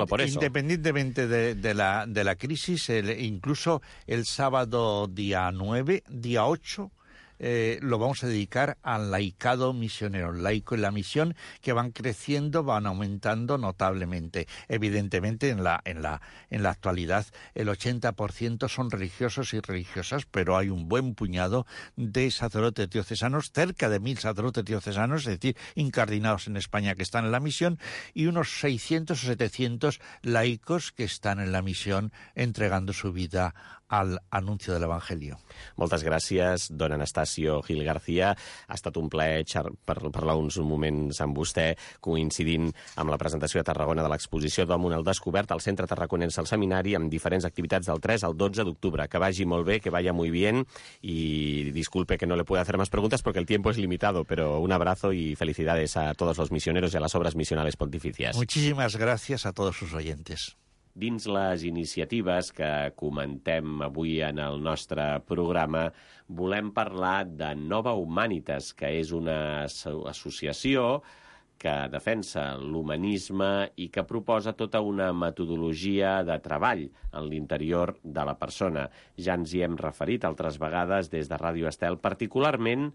por eso. Independientemente de la crisis, incluso el sábado día 9, día 8, lo vamos a dedicar al laicado misionero, el laico en la misión, que van creciendo, van aumentando notablemente. Evidentemente, en la actualidad, el 80% son religiosos y religiosas, pero hay un buen puñado de sacerdotes diocesanos, cerca de 1.000 sacerdotes diocesanos, es decir, incardinados en España que están en la misión, y unos 600 o 700 laicos que están en la misión entregando su vida al anuncio del Evangelio. Moltes gràcies, don Anastasio Gil García. Ha estat un plaer parlar uns moments amb vostè, coincidint amb la presentació a Tarragona de l'exposició Domum al Descobert al Centre Tarraconense al Seminari, amb diferents activitats del 3 al 12 d'octubre. Que vagi molt bé, que vaya muy bien, y disculpe que no le pueda hacer más preguntas porque el tiempo es limitado, pero un abrazo y felicidades a todos los misioneros y a las obras misionales pontificias. Muchísimas gracias a todos sus oyentes. Dins les iniciatives que comentem avui en el nostre programa, volem parlar de Nova Humanitas, que és una associació que defensa l'humanisme i que proposa tota una metodologia de treball en l'interior de la persona. Ja ens hi hem referit altres vegades des de Ràdio Estel, particularment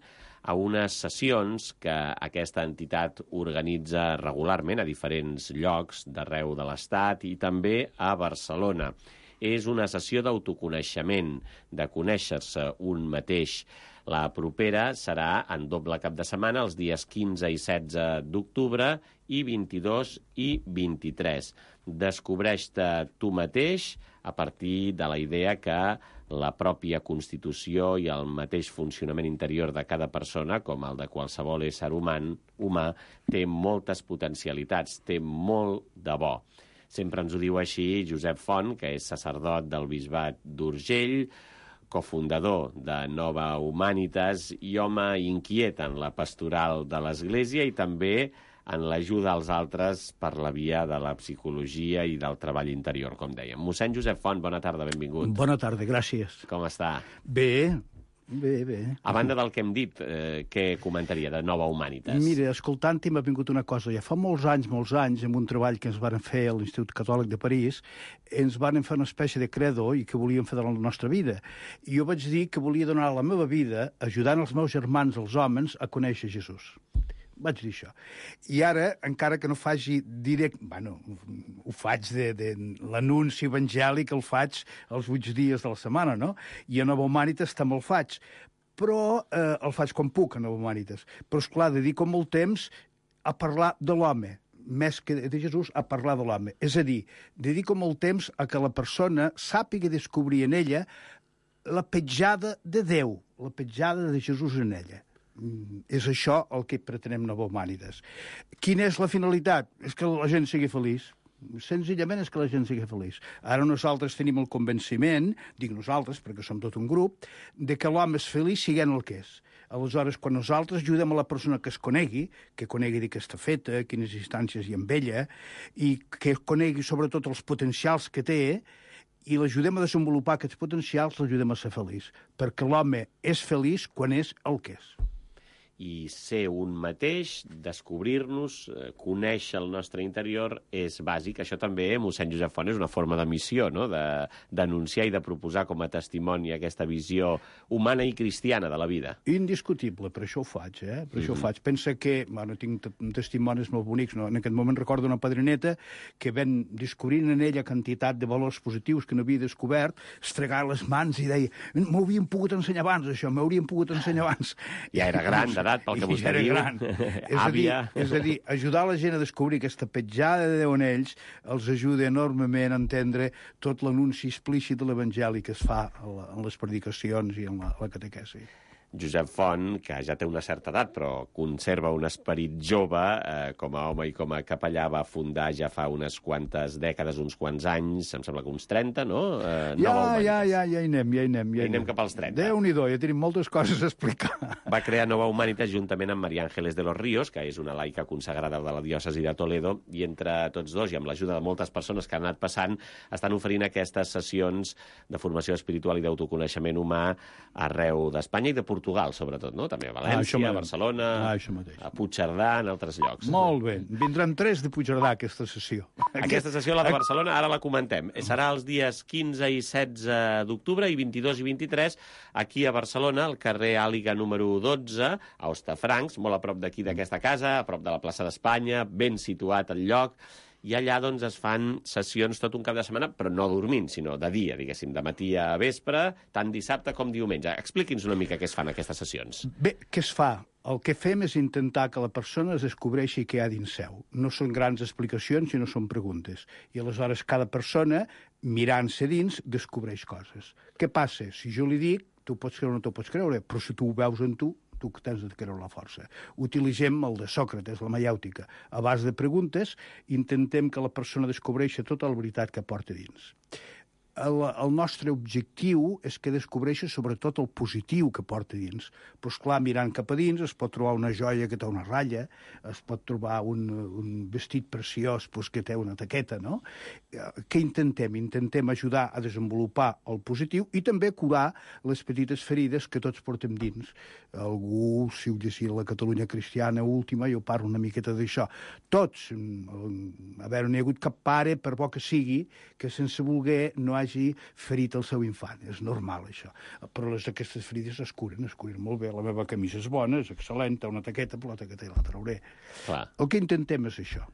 a unes sessions que aquesta entitat organitza regularment a diferents llocs d'arreu de l'Estat i també a Barcelona. És una sessió d'autoconeixement, de conèixer-se un mateix. La propera serà en doble cap de setmana, els dies 15 i 16 d'octubre i 22 i 23. Descobreix-te tu mateix a partir de la idea que la pròpia Constitució i el mateix funcionament interior de cada persona, com el de qualsevol ésser humà, té moltes potencialitats, té molt de bo. Sempre ens ho diu així Josep Font, que és sacerdot del Bisbat d'Urgell, cofundador de Nova Humanitas i home inquiet en la pastoral de l'Església i també en l'ajuda als altres per la via de la psicologia i del treball interior, com dèiem. Mossèn Josep Font, bona tarda, benvingut. Bona tarda, gràcies. Com està? Bé. A banda del que hem dit, què comentaria de Nova Humanitas? Mira, escoltant-hi m'ha vingut una cosa. Ja fa molts anys, amb un treball que ens van fer a l'Institut Catòlic de París, ens van fer una espècie de credo i que volíem fer de la nostra vida. I jo vaig dir que volia donar la meva vida ajudant els meus germans, els homes, a conèixer Jesús. Vaig dir això. I ara, encara que no faci direct... Bueno, ho faig de l'anunci evangèlic, el faig els 8 dies de la setmana, no? I a Nova Humanitas també el faig. Però el faig quan puc, a Nova Humanitas. Però, esclar, dedico molt temps a parlar de l'home, més que de Jesús, a parlar de l'home. És a dir, dedico molt temps a que la persona sàpiga descobrir en ella la petjada de Déu, la petjada de Jesús en ella. És això el que pretenem Nova Humanitas. Quina és la finalitat? És que la gent sigui feliç. Senzillament és que la gent sigui feliç. Ara nosaltres tenim el convenciment, dic nosaltres perquè som tot un grup, de que l'home és feliç siguent el que és. Aleshores, quan nosaltres ajudem a la persona que es conegui de què està feta, quines instàncies hi ha amb ella, i que conegui sobretot els potencials que té, i l'ajudem a desenvolupar aquests potencials, l'ajudem a ser feliç. Perquè l'home és feliç quan és el que és. I ser un mateix, descobrir-nos, conèixer el nostre interior és bàsic. Això també, mossèn Josep Font, és una forma de missió, no? D'anunciar i de proposar com a testimoni aquesta visió humana i cristiana de la vida. Indiscutible, per això ho faig, Per això ho faig. Pensa que, bueno, tinc testimonis molt bonics, no? En aquest moment recordo una padrineta que ven descobrint en ella quantitat de valors positius que no havia descobert, estregar les mans i deia, m'ho haurien pogut ensenyar abans, això, m'haurien pogut ensenyar abans. Ja era gran, pel que vostè diu, àvia. És a dir, ajudar la gent a descobrir aquesta petjada de Déu en ells els ajuda enormement a entendre tot l'anunci explícit de l'Evangeli que es fa en les predicacions i en la catequesi. Josep Font, que ja té una certa edat, però conserva un esperit jove, com a home i com a capellà, va fundar ja fa unes quantes dècades, uns quants anys, em sembla que uns 30, no? Ja hi anem. Ja anem cap als 30. Déu-n'hi-do, ja tenim moltes coses a explicar. Va crear Nova Humanitas juntament amb María Ángeles de los Ríos, que és una laica consagrada de la diòcesi de Toledo, i entre tots dos, i amb l'ajuda de moltes persones que han anat passant, estan oferint aquestes sessions de formació espiritual i d'autoconeixement humà arreu d'Espanya i de Portugal Portugal, sobretot, no? També a València, a Barcelona, a Puigcerdà, en altres llocs. Molt bé. Vindran 3 de Puigcerdà, aquesta sessió. Aquesta sessió, la de Barcelona, ara la comentem. Serà els dies 15 i 16 d'octubre i 22 i 23 aquí a Barcelona, al carrer Àliga número 12, a Hostafrancs, molt a prop d'aquí d'aquesta casa, a prop de la plaça d'Espanya, ben situat el lloc. I allà doncs, es fan sessions tot un cap de setmana, però no dormint, sinó de dia, diguéssim, de matí a vespre, tant dissabte com diumenge. Expliqui'ns una mica què es fan aquestes sessions. Bé, què es fa? El que fem és intentar que la persona es descobreixi què hi ha dins seu. No són grans explicacions, sinó són preguntes. I aleshores cada persona, mirant-se dins, descobreix coses. Què passa? Si jo li dic, tu pots creure o no t'ho pots creure, però si tu ho veus en tu que tens de creure la força. Utilitzem el de Sòcrates, la maiàutica. A base de preguntes, intentem que la persona descobreixi tota la veritat que porta dins. El nostre objectiu és que descobreixi sobretot el positiu que porta dins. Però, esclar, mirant cap a dins es pot trobar una joia que té una ratlla, es pot trobar un vestit preciós que té una taqueta, no? Què intentem? Intentem ajudar a desenvolupar el positiu i també curar les petites ferides que tots portem dins. Algú, si ho llegir la Catalunya cristiana última, jo parlo una miqueta d'això. Tots, a veure, no hi ha hagut cap pare, per bo que sigui, que sense voler no hagi ferit el seu infant. És normal, això. Però aquestes ferides es curen molt bé. La meva camisa és bona, és excel·lent, té una taqueta, però la taqueta ja la trauré. Clar. El que intentem és això.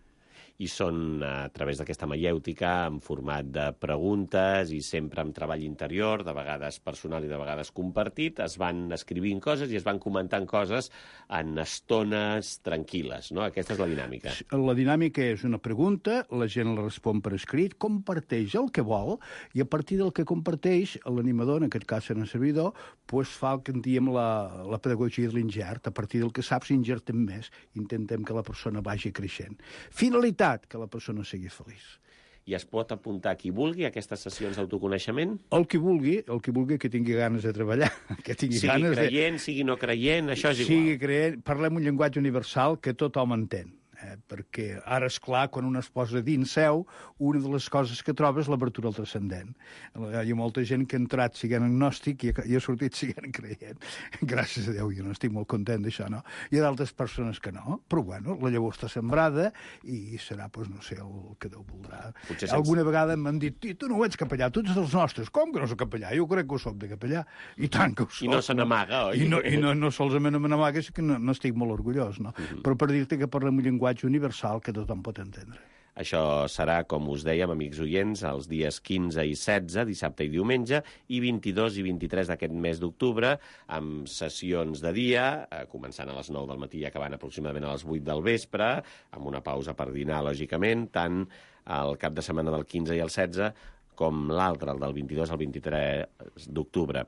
I són, a través d'aquesta maièutica, en format de preguntes i sempre amb treball interior, de vegades personal i de vegades compartit, es van escrivint coses i es van comentant coses en estones tranquil·les, no? Aquesta és la dinàmica. La dinàmica és una pregunta, la gent la respon per escrit, comparteix el que vol, i a partir del que comparteix, l'animador, en aquest cas en el servidor, fa el que en diem la pedagogia de l'ingert. A partir del que saps, ingertem més. Intentem que la persona vagi creixent. Finalitat, que la persona sigui feliç. I es pot apuntar qui vulgui a aquestes sessions d'autoconeixement? El que vulgui que tingui ganes de treballar. Que tingui sigui creient, sigui no creient, això és igual. Sigui creient, parlem un llenguatge universal que tothom entén. Perquè ara, és clar, quan un es posa dins seu, una de les coses que troba és l'obertura al transcendent. Hi ha molta gent que ha entrat siguent agnòstic i ha sortit siguent creient. Gràcies a Déu, jo no estic molt content d'això, no? Hi ha d'altres persones que no, però bueno, la llavor està sembrada i serà, doncs, no sé, el que Déu voldrà. Alguna vegada m'han dit, tu no ho ets capellà, tu ets dels nostres. Com que no soc capellà? Jo crec que ho soc de capellà. I tant que ho soc. I no se n'amaga, oi? I no solament me n'amaga, és que no estic molt orgullós, no? Però per dir-te que parlem un llenguatge universal que tothom pot entendre. Això serà, com us dèiem, amics oients, els dies 15 i 16, dissabte i diumenge, i 22 i 23 d'aquest mes d'octubre, amb sessions de dia, començant a les 9 del matí i acabant aproximadament a les 8 del vespre, amb una pausa per dinar, lògicament, tant el cap de setmana del 15 i el 16, com l'altre, el del 22 al 23 d'octubre.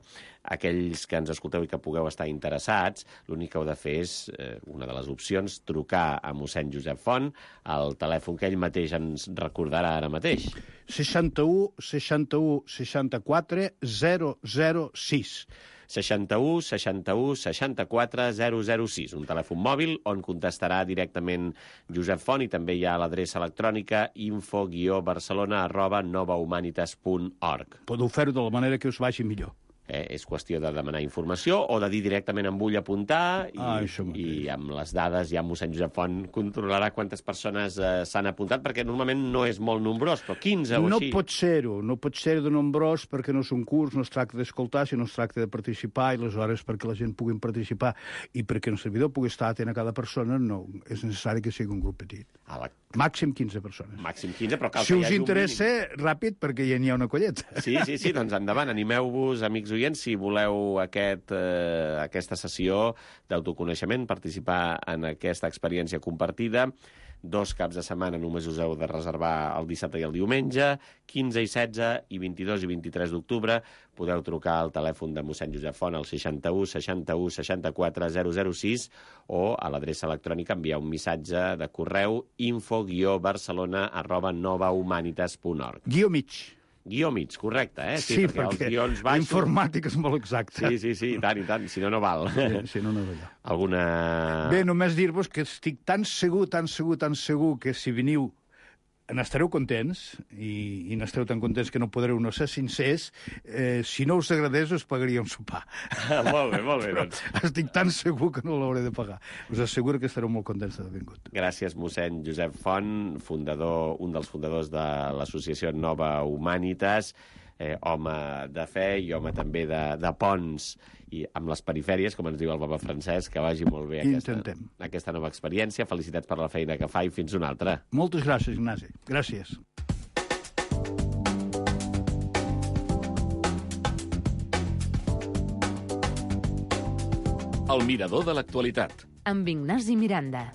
Aquells que ens escolteu i que pugueu estar interessats, l'únic que heu de fer és, una de les opcions, trucar a mossèn Josep Font, al telèfon que ell mateix ens recordarà ara mateix. 61 64 006. 61 61 64 006, un telèfon mòbil on contestarà directament Josep Font, i també hi ha l'adreça electrònica info-barcelona@novahumanitas.org. Podeu fer-ho de la manera que us vagi millor. És qüestió de demanar informació o de dir directament em vull apuntar i amb les dades ja mossèn Josep Font controlarà quantes persones s'han apuntat, perquè normalment no és molt nombrós, però 15 o així. No pot ser de nombrós perquè no és un curs, no es tracta d'escoltar, sinó es tracta de participar, i aleshores perquè la gent pugui participar i perquè el servidor pugui estar atent a cada persona, no és necessari que sigui un grup petit. Màxim 15 persones. Màxim 15, però cal si us interessa, ràpid, perquè ja n'hi ha una colleta. Sí, doncs endavant, animeu-vos, amics oients, si voleu aquesta sessió d'autoconeixement, participar en aquesta experiència compartida. 2 caps de setmana només us heu de reservar el dissabte i el diumenge, 15 i 16 i 22 i 23 d'octubre. Podeu trucar al telèfon de mossèn Josep Font al 61 61 64 006 o a l'adreça electrònica enviar un missatge de correu info-barcelona@novahumanitas.org. Guió mig, correcte, Sí, perquè la informàtica és molt exacta. Sí, i tant, si no, no val. Si no, no val. Alguna... Bé, només dir-vos que estic tan segur que si veniu n'estareu contents, i n'esteu tan contents que no podreu no ser sincers. Si no us agradés, us pagaria un sopar. Molt bé, doncs. Estic tan segur que no l'hauré de pagar. Us asseguro que estareu molt contents d'haver vingut. Gràcies, mossèn Josep Font, un dels fundadors de l'associació Nova Humanitas, home de fe i home també de ponts i amb les perifèries, com ens diu el papa Francesc, que vagi molt bé aquesta nova experiència. Felicitats per la feina que fa i fins una altra. Moltes gràcies, Ignasi. Gràcies. El mirador de l'actualitat. Amb Ignasi Miranda.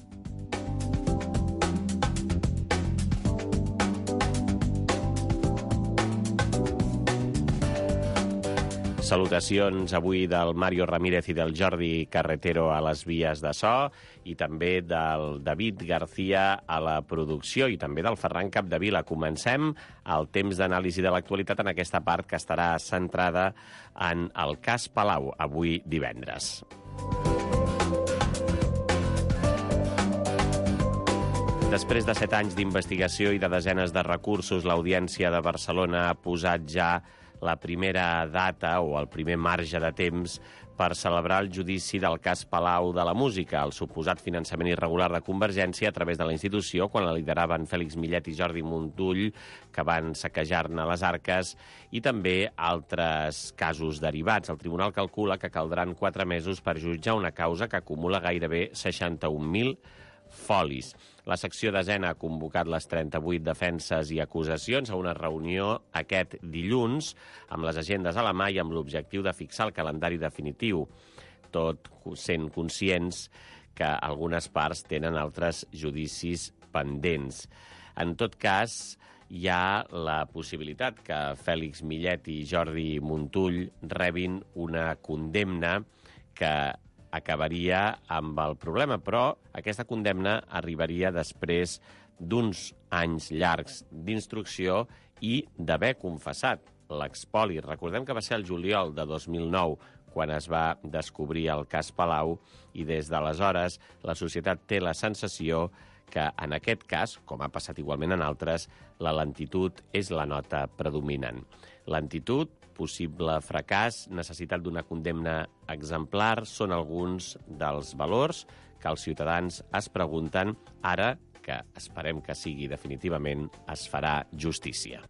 Salutacions avui del Mario Ramírez i del Jordi Carretero a les vies de so i també del David García a la producció i també del Ferran Capdevila. Comencem el temps d'anàlisi de l'actualitat en aquesta part que estarà centrada en el cas Palau, avui divendres. Després de 7 anys d'investigació i de desenes de recursos, l'Audiència de Barcelona ha posat ja la primera data o el primer marge de temps per celebrar el judici del cas Palau de la Música, el suposat finançament irregular de Convergència a través de la institució, quan la lideraven Fèlix Millet i Jordi Montull, que van saquejar-ne les arques, i també altres casos derivats. El tribunal calcula que caldran 4 mesos per jutjar una causa que acumula gairebé 61.000 folis. La secció desena ha convocat les 38 defenses i acusacions a una reunió aquest dilluns amb les agendes a la mà i amb l'objectiu de fixar el calendari definitiu, tot sent conscients que algunes parts tenen altres judicis pendents. En tot cas, hi ha la possibilitat que Fèlix Millet i Jordi Montull rebin una condemna que acabaria amb el problema, però aquesta condemna arribaria després d'uns anys llargs d'instrucció i d'haver confessat l'expoli. Recordem que va ser el juliol de 2009 quan es va descobrir el cas Palau i des d'aleshores la societat té la sensació que en aquest cas, com ha passat igualment en altres, la lentitud és la nota predominant. Lentitud, possible fracàs, necessitat d'una condemna exemplar són alguns dels valors que els ciutadans es pregunten ara que esperem que sigui definitivament es farà justícia.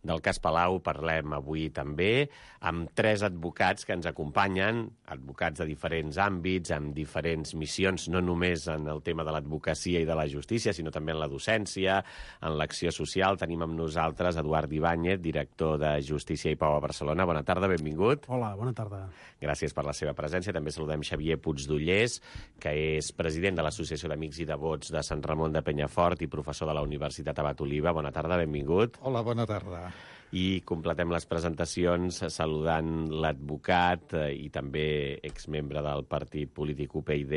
Del cas Palau parlem avui també amb 3 advocats que ens acompanyen, advocats de diferents àmbits, amb diferents missions, no només en el tema de l'advocacia i de la justícia, sinó també en la docència, en l'acció social. Tenim amb nosaltres Eduard Ibáñez, director de Justícia i Pau a Barcelona. Bona tarda, benvingut. Hola, bona tarda. Gràcies per la seva presència. També saludem Xavier Puigdollers, que és president de l'Associació d'Amics i Devots de Sant Ramon de Penyafort i professor de la Universitat Abat Oliva. Bona tarda, benvingut. Hola, bona tarda. I completem les presentacions saludant l'advocat i també exmembre del partit polític UPyD,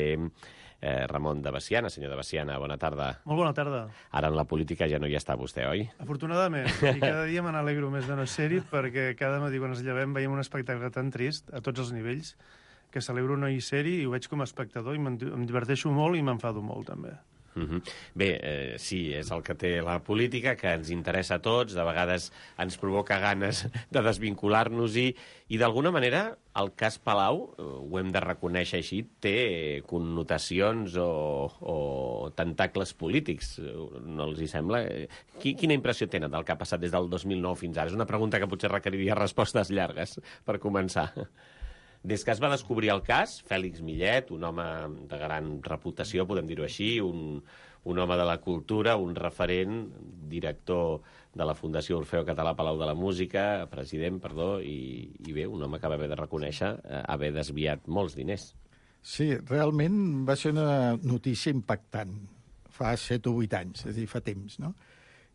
Ramon de Veciana. Senyor de Veciana, bona tarda. Molt bona tarda. Ara en la política ja no hi està vostè, oi? Afortunadament, i cada dia me n'alegro més de no ser-hi perquè cada matí quan ens llevem veiem un espectacle tan trist a tots els nivells que celebro no hi ser-hi i ho veig com a espectador i em diverteixo molt i m'enfado molt també. Bé, sí, és el que té la política, que ens interessa a tots, de vegades ens provoca ganes de desvincular-nos-hi, i d'alguna manera el cas Palau, ho hem de reconèixer així, té connotacions o tentacles polítics, no els hi sembla? Quina impressió tenen del que ha passat des del 2009 fins ara? És una pregunta que potser requeriria respostes llargues, per començar. Des que es va descobrir el cas, Fèlix Millet, un home de gran reputació, podem dir-ho així, un home de la cultura, un referent, director de la Fundació Orfeo Català Palau de la Música, president, perdó, i bé, un home que va haver de reconèixer haver desviat molts diners. Sí, realment va ser una notícia impactant, fa 7 o 8 anys, és a dir, fa temps, no?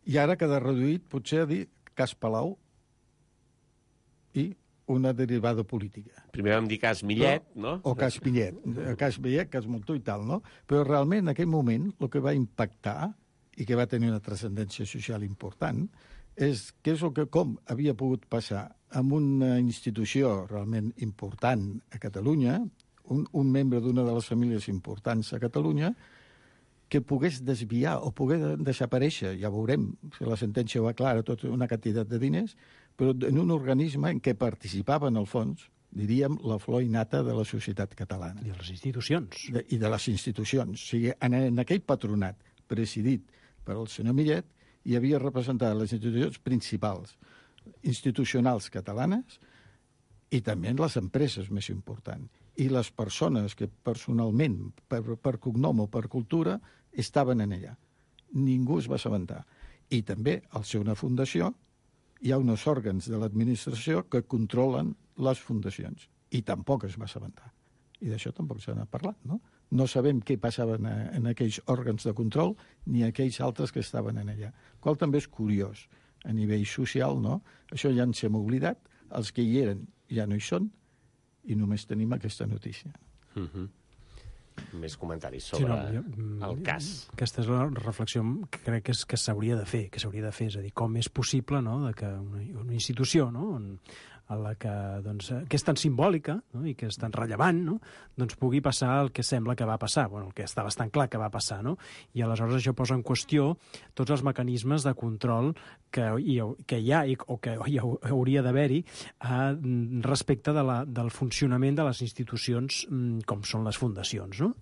I ara queda reduït, potser, a dir cas Palau i una derivada política. Primer vam dir cas Millet, no? O cas Millet, cas Millet, cas Montull i tal, no? Però realment, en aquell moment, el que va impactar i que va tenir una transcendència social important és que és el que, com havia pogut passar amb una institució realment important a Catalunya, un membre d'una de les famílies importants a Catalunya que pogués desviar o pogués desaparèixer, ja veurem, si la sentència ho aclara, tota una quantitat de diners, però en un organisme en què participava, en el fons, diríem, la flor innata de la societat catalana. I de les institucions. I de les institucions. O sigui, en aquell patronat presidit per el senyor Millet hi havia representat les institucions principals, institucionals catalanes, i també les empreses més importants. I les persones que personalment, per cognom o per cultura, estaven en allà. Ningú es va assabentar. I també, al ser una fundació, hi ha uns òrgans de l'administració que controlen les fundacions. I tampoc es va assabentar. I d'això tampoc se n'ha parlat, no? No sabem què passava en aquells òrgans de control ni aquells altres que estaven en allà. Qual també és curiós a nivell social, no? Això ja ens hem oblidat, els que hi eren ja no hi són, i només tenim aquesta notícia. Més comentaris sobre el cas. Aquesta és la reflexió que crec que s'hauria de fer, és a dir, com és possible, no?, de que una institució, no?, a la que, doncs, que és tan simbòlica, no?, i que és tan rellevant, no?, doncs pugui passar el que sembla que va passar, bueno, el que està bastant clar que va passar, no? I aleshores això posa en qüestió tots els mecanismes de control que hi ha o que hi hauria d'haver-hi respecte del funcionament de les institucions com són les fundacions, no?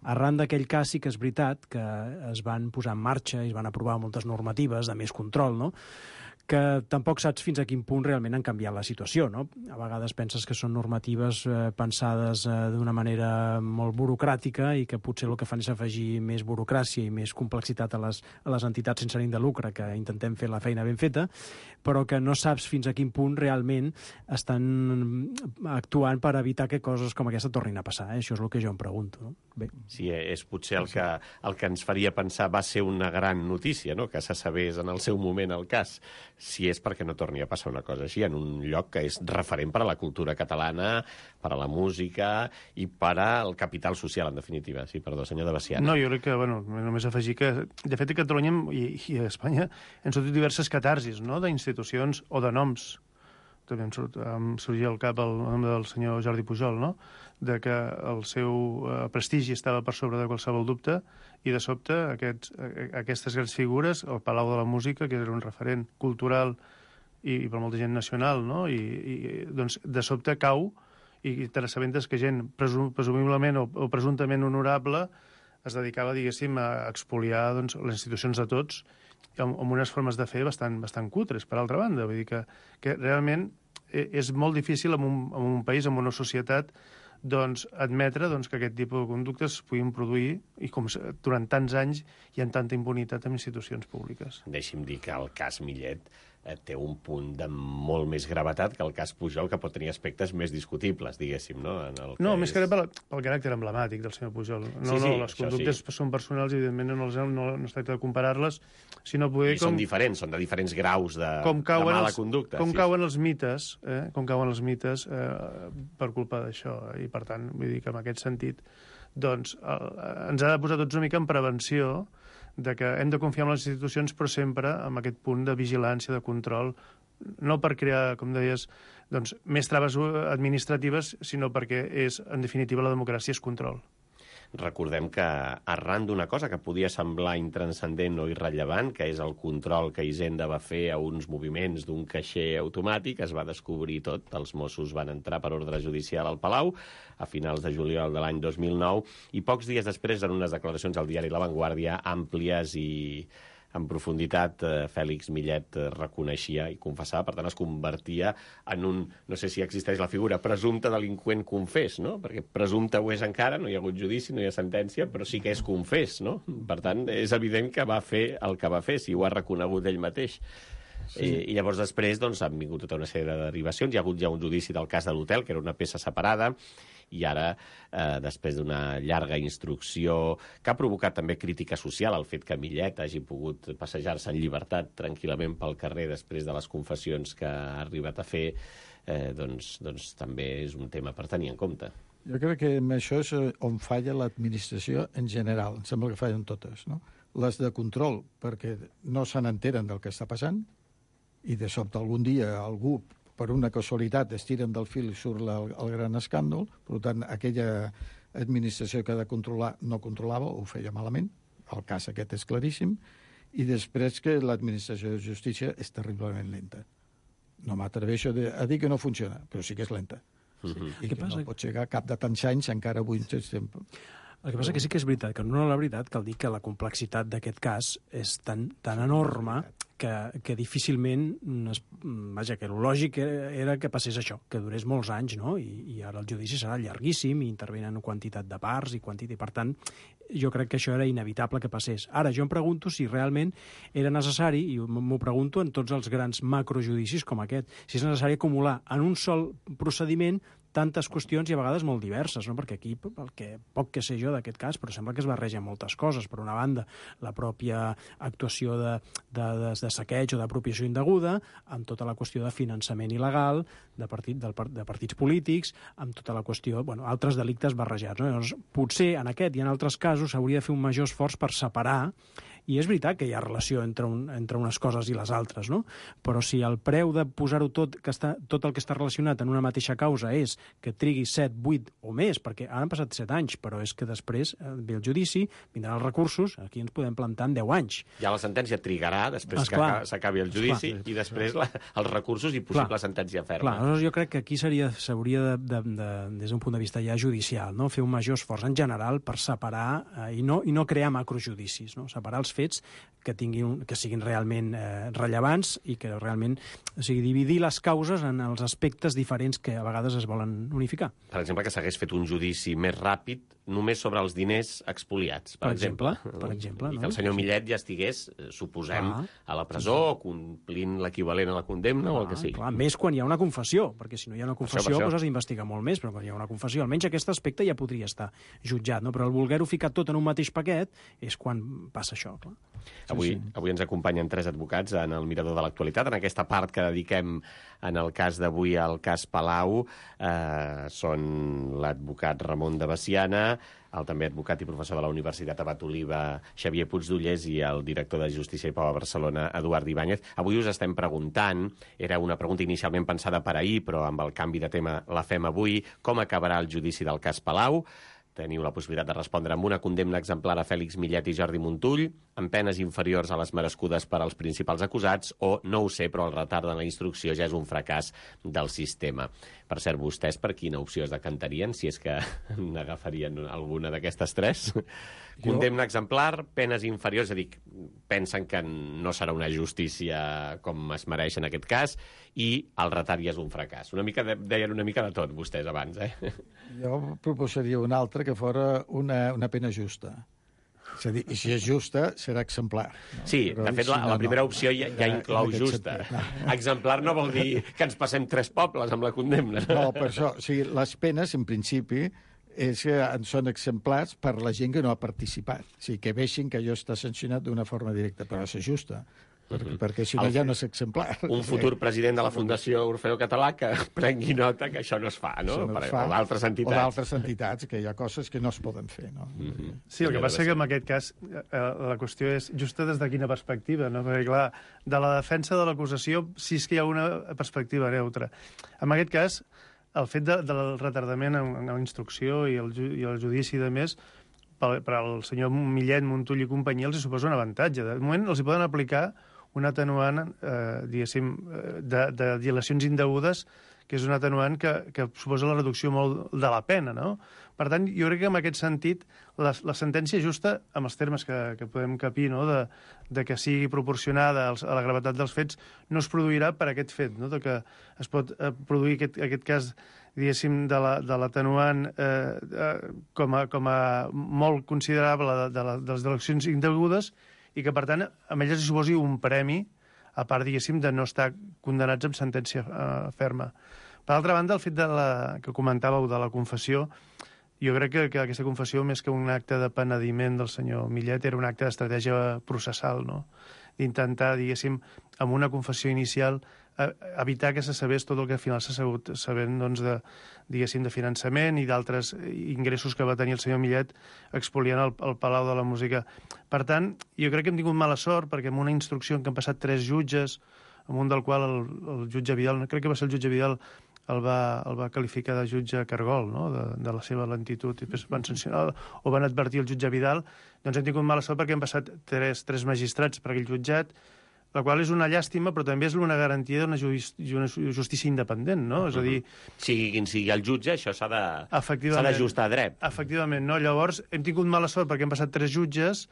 Arran d'aquell cas sí que és veritat que es van posar en marxa i es van aprovar moltes normatives de més control, no?, que tampoc saps fins a quin punt realment han canviat la situació, no? A vegades penses que són normatives pensades d'una manera molt burocràtica i que potser el que fan és afegir més burocràcia i més complexitat a les entitats sense ànim de lucre, que intentem fer la feina ben feta, però que no saps fins a quin punt realment estan actuant per evitar que coses com aquesta tornin a passar. Això és el que jo em pregunto, no? Bé. Sí, és potser el que ens faria pensar va ser una gran notícia, no?, que se sabés en el seu moment el cas, si és perquè no torni a passar una cosa així en un lloc que és referent per a la cultura catalana, per a la música i per al capital social, en definitiva. Sí, perdó, senyor de Veciana. No, jo crec que, bueno, només afegir que, de fet, a Catalunya i a Espanya han sortit diverses catarsis, no?, d'institucions o de noms. També em sorgia al cap el nom del senyor Jordi Pujol, no?, de que el seu prestigi estava per sobre de qualsevol dubte, i de sobte aquestes grans figures, el Palau de la Música, que era un referent cultural i per molta gent nacional, no?, i doncs de sobte cau, i te n'assabentes que gent presumiblement o presumptament honorable es dedicava, diguéssim, a expoliar, doncs, les institucions de tots amb unes formes de fer bastant cutres, per altra banda. Vull dir que realment és molt difícil en un país, en una societat, doncs, admetre que aquest tipus de conductes es puguin produir, i com durant tants anys hi ha tanta impunitat en institucions públiques. Deixi'm dir que el cas Millet té un punt de molt més gravetat que el cas Pujol, que pot tenir aspectes més discutibles, diguéssim, no? Més que pel caràcter emblemàtic del senyor Pujol. Les conductes són personals i, evidentment, no es tracta de comparar-les, sinó poder... I són diferents, són de diferents graus de mala conducta. Com cauen els mites, per culpa d'això. I, per tant, vull dir que en aquest sentit, doncs, ens ha de posar tots una mica en prevenció de que hem de confiar en les institucions, però sempre amb aquest punt de vigilància, de control, no per crear, com deies, doncs, més traves administratives, sinó perquè en definitiva, la democràcia és control. Recordem que arran d'una cosa que podia semblar intranscendent o irrellevant, que és el control que Hisenda va fer a uns moviments d'un caixer automàtic, es va descobrir tot. Els Mossos van entrar per ordre judicial al Palau a finals de juliol de l'any 2009 i pocs dies després, en unes declaracions al diari La Vanguardia, àmplies i en profunditat, Fèlix Millet reconeixia i confessava, per tant es convertia en un, no sé si existeix la figura, presumpte delinqüent confés, no? Perquè presumpte ho és encara, no hi ha hagut judici, no hi ha sentència, però sí que és confés, no? Per tant, és evident que va fer el que va fer, si ho ha reconegut ell mateix. Sí. I llavors després doncs, han vingut tota una sèrie de derivacions. Hi ha hagut ja un judici del cas de l'hotel, que era una peça separada, i ara, després d'una llarga instrucció que ha provocat també crítica social, el fet que Millet hagi pogut passejar-se en llibertat tranquil·lament pel carrer després de les confessions que ha arribat a fer, doncs també és un tema per tenir en compte. Jo crec que amb això és on falla l'administració en general. Em sembla que fallen totes, no? Les de control, perquè no se n'enteren del que està passant, i de sobte algun dia algú per una casualitat es tiren del fil i surt el gran escàndol. Per tant, aquella administració que ha de controlar no controlava, ho feia malament. El cas aquest és claríssim. I després que l'administració de justícia és terriblement lenta. No m'atreveixo a dir que no funciona, però sí que és lenta. I que no pot llegar a cap de tants anys, encara avui estem... El que passa que sí que és veritat, que no la veritat cal dir que la complexitat d'aquest cas és tan enorme que difícilment... Vaja, que el lògic era que passés això, que durés molts anys, no? I ara el judici serà llarguíssim, i intervenen quantitat de parts i per tant, jo crec que això era inevitable que passés. Ara, jo em pregunto si realment era necessari, i m'ho pregunto en tots els grans macrojudicis com aquest, si és necessari acumular en un sol procediment tantes qüestions i a vegades molt diverses, no? Perquè aquí, el que poc que sé jo d'aquest cas, però sembla que es barregen moltes coses. Per una banda, la pròpia actuació de saqueig o d'apropiació indeguda, amb tota la qüestió de finançament il·legal de partits polítics, amb tota la qüestió, altres delictes barrejats. No? Llavors, potser en aquest i en altres casos s'hauria de fer un major esforç per separar. I és veritat que hi ha relació entre unes coses i les altres, no? Però si el preu de posar-ho tot el que està relacionat en una mateixa causa és que trigui 7, 8 o més, perquè ara han passat 7 anys, però és que després ve el judici, vindran els recursos, aquí ens podem plantar en 10 anys. Ja la sentència trigarà després que s'acabi el judici i després els recursos i possible sentència ferma. Aleshores jo crec que aquí s'hauria des d'un punt de vista ja judicial, no? Fer un major esforç en general per separar i no crear macrojudicis, no? Separar els fets que siguin realment rellevants i que realment, o sigui, dividir les causes en els aspectes diferents que a vegades es volen unificar. Per exemple, que s'hagués fet un judici més ràpid només sobre els diners expoliats, per exemple. I que el senyor Millet ja estigués, suposem, a la presó, complint l'equivalent a la condemna o el que sigui. Clar, més quan hi ha una confessió, perquè si no hi ha una confessió doncs has d'investigar molt més, però quan hi ha una confessió, almenys aquest aspecte ja podria estar jutjat, no? Però el voler-ho ficar tot en un mateix paquet és quan passa això, clar. Avui ens acompanyen 3 advocats en el Mirador de l'Actualitat. En aquesta part que dediquem en el cas d'avui al cas Palau són l'advocat Ramon de Veciana, el també advocat i professor de la Universitat Abat Oliva Xavier Puigdollers i el director de Justícia i Pau a Barcelona Eduard Ibáñez. Avui us estem preguntant, era una pregunta inicialment pensada per ahir, però amb el canvi de tema la fem avui, com acabarà el judici del cas Palau? Teniu la possibilitat de respondre amb una condemna exemplar a Fèlix Millet i Jordi Montull, amb penes inferiors a les merescudes per als principals acusats, o no ho sé, però el retard en la instrucció ja és un fracàs del sistema. Per cert, vostès per quina opció es decantarien, si és que n'agafarien alguna d'aquestes 3? Condemna exemplar, penes inferiors, és a dir, pensen que no serà una justícia com es mereix en aquest cas, i el retard ja és un fracàs. Deien una mica de tot, vostès, abans, Jo proposaria una altra que fora una pena justa. És a dir, i si és justa, serà exemplar. No? Sí, de fet, la primera opció ja inclou justa. Exemplar no vol dir que ens passem 3 pobles amb la condemna. No, per això, o sigui, les penes, en principi, són exemplars per la gent que no ha participat. O sigui, que veixin que allò està sancionat d'una forma directa, però ha de ser justa. Perquè si no ja no és exemplar. Un futur president de la Fundació Orfeo Català que prengui nota que això no es fa, no? O d'altres entitats. O d'altres entitats, que hi ha coses que no es poden fer, no? Sí, el que passa és que en aquest cas la qüestió és justa des de quina perspectiva, no? Perquè, clar, de la defensa de l'acusació sí que hi ha una perspectiva neutra. En aquest cas, el fet del retardament en la instrucció i el judici de més, per al senyor Millet, Montull i companyia els suposa un avantatge. De moment els hi poden aplicar un atenuant, diguéssim, de dilacions indegudes, que és un atenuant que suposa la reducció molt de la pena, no? Per tant, jo crec que en aquest sentit la sentència justa, amb els termes que podem capir, no? de que sigui proporcionada a la gravetat dels fets, no es produirà per aquest fet, no? De que es pot produir aquest cas, diguéssim, de l'atenuant com a molt considerable de les dilacions indegudes, i que, per tant, a elles hi suposi un premi, a part, diguéssim, de no estar condenats amb sentència ferma. Per altra banda, el fet que comentàveu de la confessió, jo crec que aquesta confessió, més que un acte de penediment del senyor Millet, era un acte d'estratègia processal, no? D'intentar, diguéssim, amb una confessió inicial, evitar que se sabés tot el que al final s'ha sabut sabent, doncs, diguéssim, de finançament i d'altres ingressos que va tenir el senyor Millet expoliant el Palau de la Música. Per tant, jo crec que hem tingut mala sort, perquè amb una instrucció en què han passat 3 jutges, amb un del qual el jutge Vidal, crec que va ser el jutge Vidal, el va qualificar de jutge cargol, no? de la seva lentitud, i després van sancionar o van advertir el jutge Vidal. Doncs hem tingut mala sort perquè han passat tres magistrats per aquell jutjat, la qual és una llàstima, però també és una garantia d'una justícia independent, no? És a dir... Sigui quin sigui el jutge, això s'ha d'ajustar a dret. Efectivament, no? Llavors, hem tingut mala sort perquè han passat 3 jutges,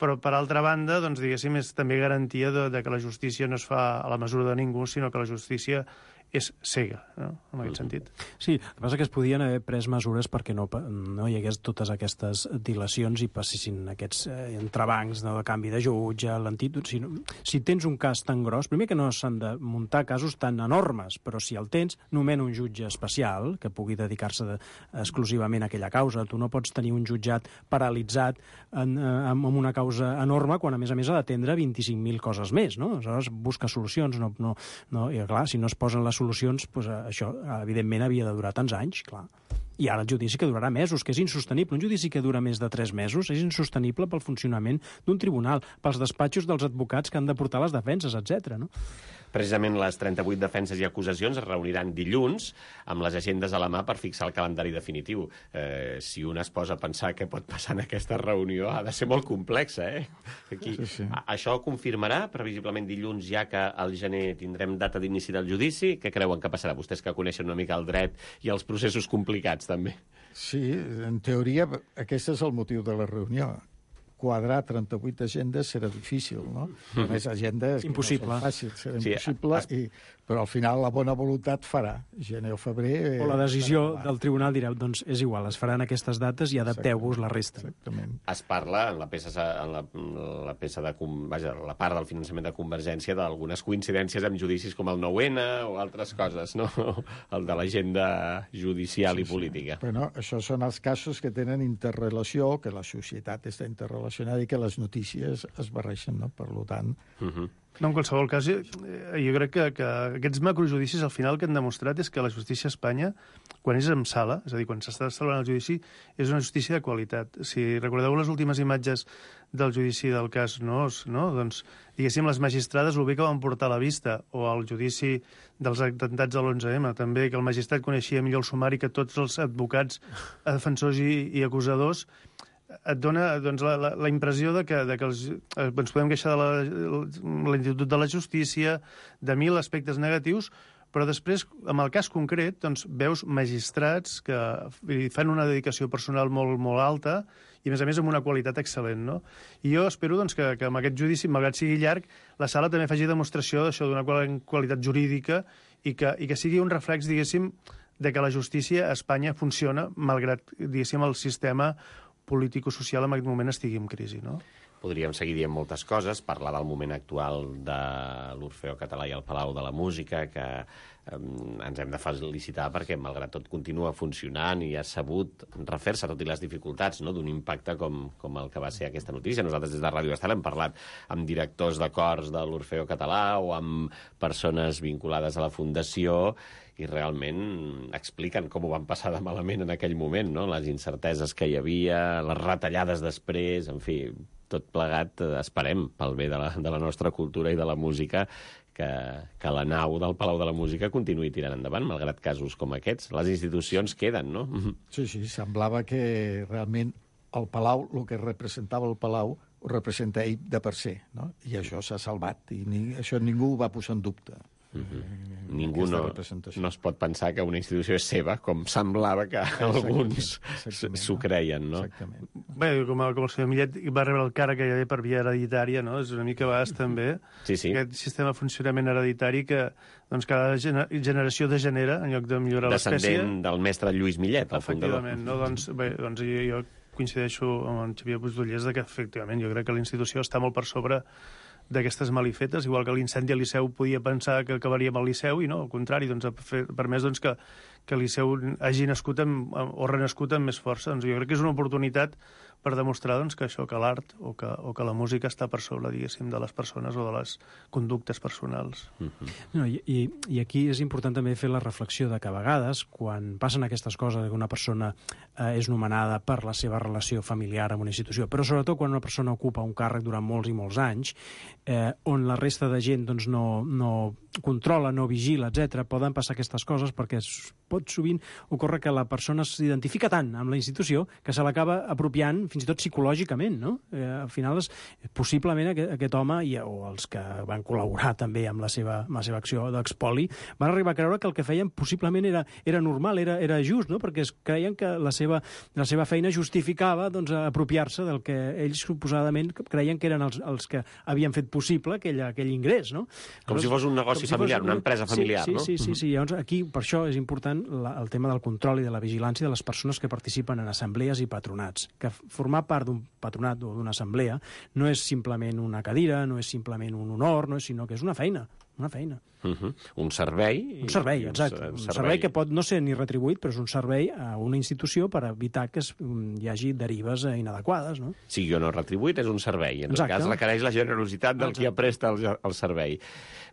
però, per altra banda, doncs, diguéssim, és també garantia de que la justícia no es fa a la mesura de ningú, sinó que la justícia és cega, no? En aquest sentit. Sí, el que passa que es podien haver pres mesures perquè no hi hagués totes aquestes dilacions i passessin aquests entrebancs de canvi de jutge, lentitud. Si tens un cas tan gros, primer que no s'han de muntar casos tan enormes, però si el tens, nomena un jutge especial que pugui dedicar-se exclusivament a aquella causa. Tu no pots tenir un jutjat paralitzat amb una causa enorme quan, a més, ha d'atendre 25.000 coses més, no? Aleshores, busca solucions. I, clar, si no es posen les solucions, doncs això, evidentment, havia de durar tants anys, clar. I ara el judici que durarà mesos, que és insostenible. Un judici que dura més de 3 mesos és insostenible pel funcionament d'un tribunal, pels despatxos dels advocats que han de portar les defenses, etc. No? Precisament les 38 defenses i acusacions es reuniran dilluns amb les agendes a la mà per fixar el calendari definitiu. Si un es posa a pensar què pot passar en aquesta reunió, ha de ser molt complexa, eh? Aquí. Sí. Això confirmarà, previsiblement dilluns, ja que al gener tindrem data d'inici del judici. Què creuen que passarà? Vostès que coneixen una mica el dret i els processos complicats, també. Sí, en teoria, aquest és el motiu de la reunió. Quadrar 38 agendes serà difícil, no? Més agendes impossible. No són fàcils, serà impossible, però al final la bona voluntat farà, gener o febrer... O la decisió del tribunal direu, doncs és igual, es faran aquestes dates i adapteu-vos la resta. Exactament. Es parla en la part del finançament de Convergència d'algunes coincidències amb judicis com el 9-N o altres coses, no? El de l'agenda judicial i política. Però no, això són els casos que tenen interrelació, que la societat està interrelacionada i que les notícies es barreixen, no? Per tant... No, en qualsevol cas, jo crec que aquests macrojudicis al final el que han demostrat és que la justícia a Espanya, quan és en sala, és a dir, quan s'està celebrant el judici, és una justícia de qualitat. Si recordeu les últimes imatges del judici del cas Nóos, no? Doncs, diguéssim, les magistrades el bé que van portar a la vista, o el judici dels atemptats de l'11M, també, que el magistrat coneixia millor el sumari que tots els advocats, defensors i acusadors, et dona doncs, la impressió de que ens podem queixar de la lentitud de la justícia, de 1000 aspectes negatius, però després, amb el cas concret, doncs, veus magistrats que fan una dedicació personal molt, molt alta i, a més, amb una qualitat excel·lent, no? I jo espero doncs, que amb aquest judici, malgrat sigui llarg, la sala també faci demostració d'això, d'una qualitat jurídica i que sigui un reflex, diguéssim, de que la justícia a Espanya funciona, malgrat, diguéssim, el sistema político-social en aquest moment estigui en crisi, no? Podríem seguir dient moltes coses, parlar del moment actual de l'Orfeó Català i el Palau de la Música, que ens hem de felicitar perquè, malgrat tot, continua funcionant i ha sabut refer-se, tot i les dificultats, no?, d'un impacte com el que va ser aquesta notícia. Nosaltres des de Ràdio Estel hem parlat amb directors de cors de l'Orfeó Català o amb persones vinculades a la Fundació i realment expliquen com ho van passar de malament en aquell moment, no?, les incerteses que hi havia, les retallades després, en fi, tot plegat, esperem, pel bé de la nostra cultura i de la música, que la nau del Palau de la Música continuï tirant endavant, malgrat casos com aquests. Les institucions queden, no? Sí, semblava que realment el Palau, el que representava el Palau, ho representa ell de per ser, no? I això s'ha salvat, i això ningú ho va posar en dubte. Ningú no es pot pensar que una institució és seva, com semblava que alguns s'ho creien, no? Exactament. Bé, com el senyor Millet va rebre el càrrec gairebé per via hereditària, no? És una mica a vegades també aquest sistema de funcionament hereditari que doncs, cada generació degenera en lloc de millorar l'espècie. Descendent del mestre Lluís Millet, el fundador. Efectivament, no? Doncs jo coincideixo amb en Xavier Puigdollers que efectivament jo crec que la institució està molt per sobre d'aquestes malifetes, igual que l'incendi a Liceu podia pensar que acabaria amb el Liceu i no, al contrari, doncs, ha permès doncs, que Liceu hagi nascut o renascut amb més força. Doncs jo crec que és una oportunitat per demostrar doncs, que això, que l'art o que la música està per sobre, diguéssim, de les persones o de les conductes personals. No, i aquí és important també fer la reflexió de que a vegades, quan passen aquestes coses, que una persona és nomenada per la seva relació familiar amb una institució, però sobretot quan una persona ocupa un càrrec durant molts i molts anys, on la resta de gent doncs, no controla, no vigila, etc., poden passar aquestes coses perquè pot sovint ocórrer que la persona s'identifica tant amb la institució que se l'acaba apropiant fins i tot psicològicament, no? Al final, possiblement aquest home o els que van col·laborar també amb la seva acció d'expoli van arribar a creure que el que feien possiblement era normal, era just, no? Perquè creien que la seva feina justificava doncs, apropiar-se del que ells suposadament creien que eren els que havien fet possible aquell ingrés, no? Com si fos un negoci familiar, una empresa familiar, no? Sí. Llavors, aquí, per això és important el tema del control i de la vigilància de les persones que participen en assemblees i patronats. Que formar part d'un patronat o d'una assemblea no és simplement una cadira, no és simplement un honor, sinó que és una feina. Un servei. Un servei, exacte. Un servei que pot no ser ni retribuït, però és un servei a una institució per evitar que hi hagi derives inadequades, no? Sigui o no retribuït, és un servei. En tot cas, requereix la generositat del qui presta el servei.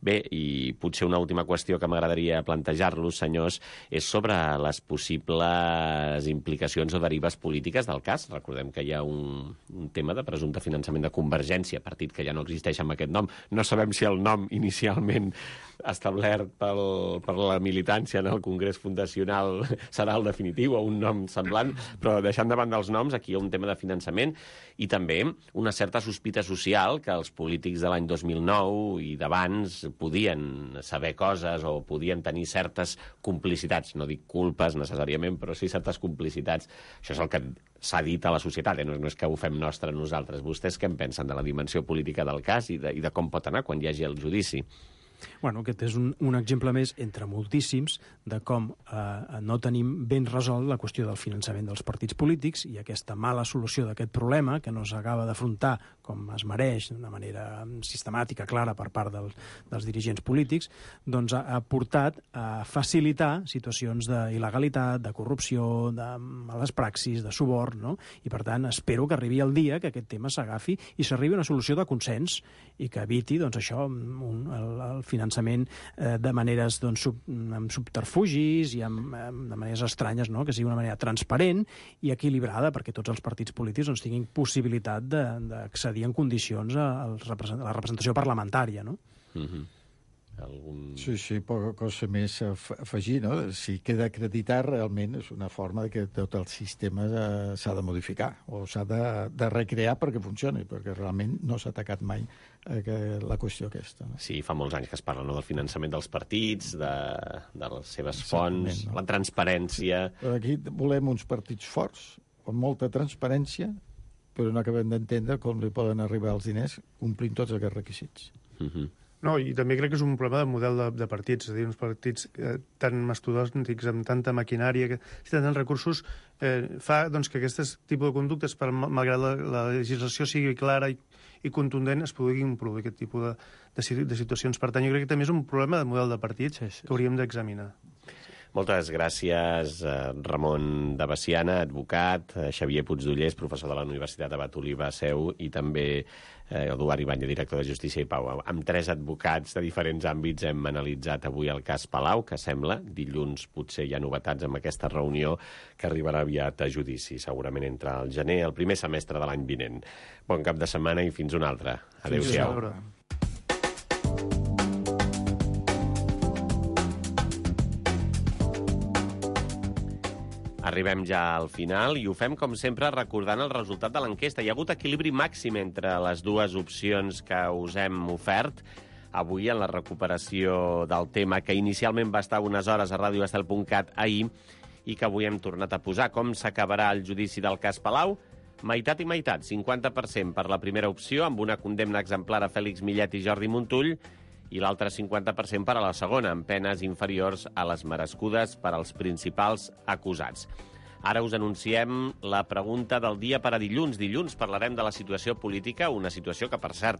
Bé, i potser una última qüestió que m'agradaria plantejar-los, senyors, és sobre les possibles implicacions o derives polítiques del cas. Recordem que hi ha un tema de presumpte finançament de Convergència, partit que ja no existeix amb aquest nom. No sabem si el nom inicialment establert per la militància en el Congrés Fundacional serà el definitiu o un nom semblant, però deixant de banda els noms, aquí hi ha un tema de finançament i també una certa sospita social que els polítics de l'any 2009 i d'abans podien saber coses o podien tenir certes complicitats, no dic culpes necessàriament, però sí certes complicitats. Això és el que s'ha dit a la societat, no és que ho fem nostre nosaltres. Vostès què en pensen de la dimensió política del cas i de com pot anar quan hi hagi el judici? Bueno, aquest és un exemple més, entre moltíssims, de com no tenim ben resolt la qüestió del finançament dels partits polítics i aquesta mala solució d'aquest problema, que no s'acaba d'afrontar com es mereix, d'una manera sistemàtica, clara, per part dels dirigents polítics, doncs ha portat a facilitar situacions d'il·legalitat, de corrupció, de males praxis, de suborn, no? I, per tant, espero que arribi el dia que aquest tema s'agafi i s'arribi a una solució de consens i que eviti, doncs, això, el finançament de maneres amb subterfugis i de maneres estranyes, no? Que sigui una manera transparent i equilibrada perquè tots els partits polítics tinguin possibilitat d'accedir en condicions a la representació parlamentària, no? Sí, poca cosa més a afegir, no? Si queda acreditat, realment és una forma que tot el sistema s'ha de modificar o s'ha de recrear perquè funcioni, perquè realment no s'ha atacat mai la qüestió aquesta. No? Sí, fa molts anys que es parla del finançament dels partits, de les seves fonts, no? La transparència... Però aquí volem uns partits forts, amb molta transparència, però no acabem d'entendre com li poden arribar els diners complint tots aquests requisits. No, i també crec que és un problema de model de partits, és a dir, uns partits tan mastodòntics, amb tanta maquinària, si tenen recursos, fa doncs, que aquest tipus de conductes, malgrat la legislació sigui clara i contundent, es puguin produir aquest tipus de situacions. Per tant, jo crec que també és un problema de model de partits que hauríem d'examinar. Moltes gràcies, Ramon de Veciana, advocat, Xavier Puigdollers, professor de la Universitat Abat Oliva Seu, i també Eduard Ibáñez, director de Justícia i Pau. Amb 3 advocats de diferents àmbits hem analitzat avui el cas Palau, que sembla, dilluns potser hi ha novetats amb aquesta reunió que arribarà aviat a judici, segurament entre el gener i el primer semestre de l'any vinent. Bon cap de setmana i fins una altra. Adéu-siau. Arribem ja al final i ho fem, com sempre, recordant el resultat de l'enquesta. Hi ha hagut equilibri màxim entre les dues opcions que us hem ofert avui en la recuperació del tema, que inicialment va estar unes hores a radioestel.cat ahir i que avui hem tornat a posar. Com s'acabarà el judici del cas Palau? Meitat i meitat, 50% per la primera opció, amb una condemna exemplar a Fèlix Millet i Jordi Montull, i l'altre 50% per a la segona, amb penes inferiors a les merescudes per als principals acusats. Ara us anunciem la pregunta del dia per a dilluns. Dilluns parlarem de la situació política, una situació que, per cert,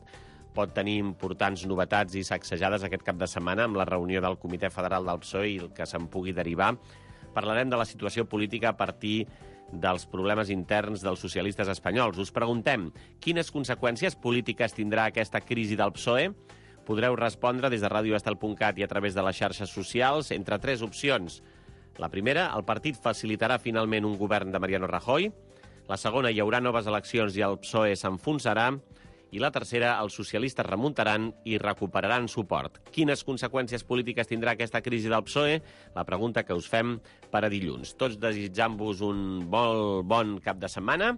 pot tenir importants novetats i sacsejades aquest cap de setmana amb la reunió del Comitè Federal del PSOE i el que se'n pugui derivar. Parlarem de la situació política a partir dels problemes interns dels socialistes espanyols. Us preguntem quines conseqüències polítiques tindrà aquesta crisi del PSOE. Podreu respondre des de radioestel.cat i a través de les xarxes socials entre 3 opcions. La primera, el partit facilitarà finalment un govern de Mariano Rajoy. La segona, hi haurà noves eleccions i el PSOE s'enfonsarà. I la tercera, els socialistes remuntaran i recuperaran suport. Quines conseqüències polítiques tindrà aquesta crisi del PSOE? La pregunta que us fem per a dilluns. Tots desitjant-vos un molt bon cap de setmana.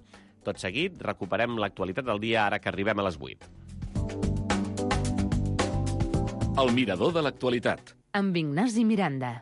Tot seguit, recuperem l'actualitat del dia ara que arribem a les 8. El mirador de l'actualitat. Amb Ignasi Miranda.